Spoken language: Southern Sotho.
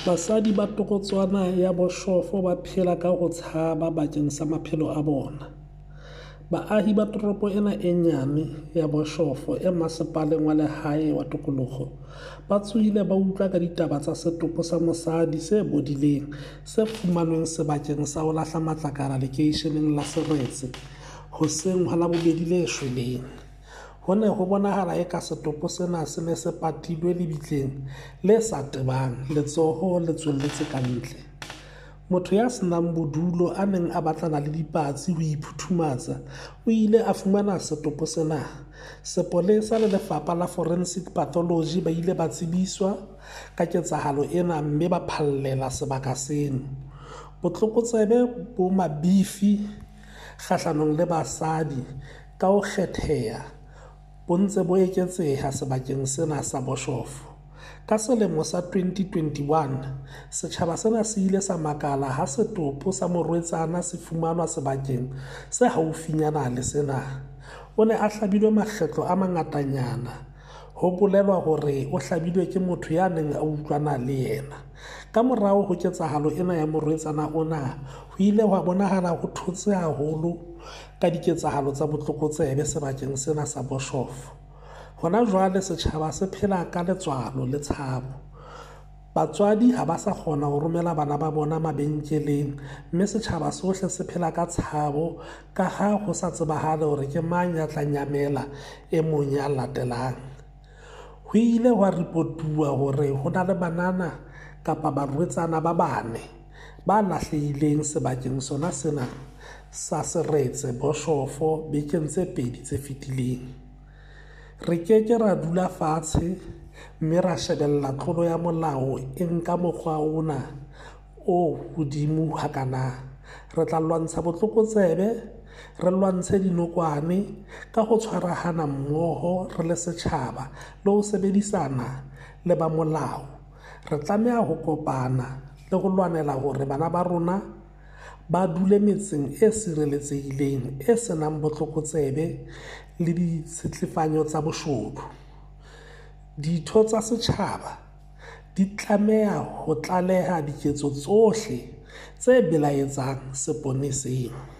Basadi ba torotswana ya Boshof ba phela ka ho tshaba bakeng sa maphelo a bona. Baahi ba toropo ena e nyane ya Boshof e Masepaleng wa Lehae wa Tokoloho ba tsohile ba utlwa ka ditaba tsa setopo sa mosadi se bodileng se fumanweng sebakeng sa ho lahla matlakala lekeisheneng la Seretse hoseng ha Labobedi le shweleng. Ho ne ho bonahala eka setopo sena se ne se patilwe lebitleng le sa tebang, letsoho le tswelletse ka ntle. Motho ya se nang bodulo a neng a batlana le dipatsi ho iphuthumatsa o ile a fumana setopo sena. Sepolesa le Lefapha la Forensic Pathology ba ile ba tsebiswa ka ketsahalo ena mme ba phallela sebaka seno. Botlokotsebe bo mabifi kgahlanong le basadi ka ho kgetheha bo ntse bo eketseha sebakeng sena sa Boshof. Ka selemo sa 2021, setjhaba sena se ile sa makala ha setopo sa morwetsana se fumanwa sebakeng se haufinyana le sena. O ne a hlabilwe makgetlo a mangatanyana. Ho bolelwa hore o hlabilwe ke motho ya neng a utlwana le yena. Ka morao ho ketsahalo ena ya morwetsana ona, ho ile hwa bonahala ho thotse haholo ka diketsahalo tsa botlokotsebe sebakeng sena sa Boshof. Hona jwale setjhaba se phela ka letswalo le tshabo. Batswadi ha ba sa kgona ho romela bana ba bona mabenkeleng mme setjhaba sohle se phela ka tshabo ka ha ho sa tsebahale hore ke mang ya tla nyamela e mong ya latelang. Ho ile hwa ripotuwa hore ho na le banana kapa barwetsana ba bane ba lahlehileng sebakeng sona sena sa Seretse Boshofo bekeng tse pedi tse fetileng. Re ke ke ra dula fatshe mme ra shebella tlolo ya molao e nka mokgwa ona o hodimo hakana. Re tla lwantsha botlokotsebe, re lwantshe dinokwane ka ho tshwarahana mmoho re le setjhaba le ho sebedisana le ba molao. Re tlameha ho kopana le ho lwanela hore bana ba rona ba dule metseng e sireletsehileng e se nang botlokotsebe le ditshetlefanyo tsa boshodu. Ditho tsa setjhaba di tlameha ho tlaleha diketso tsohle tse belaetsang seponeseng.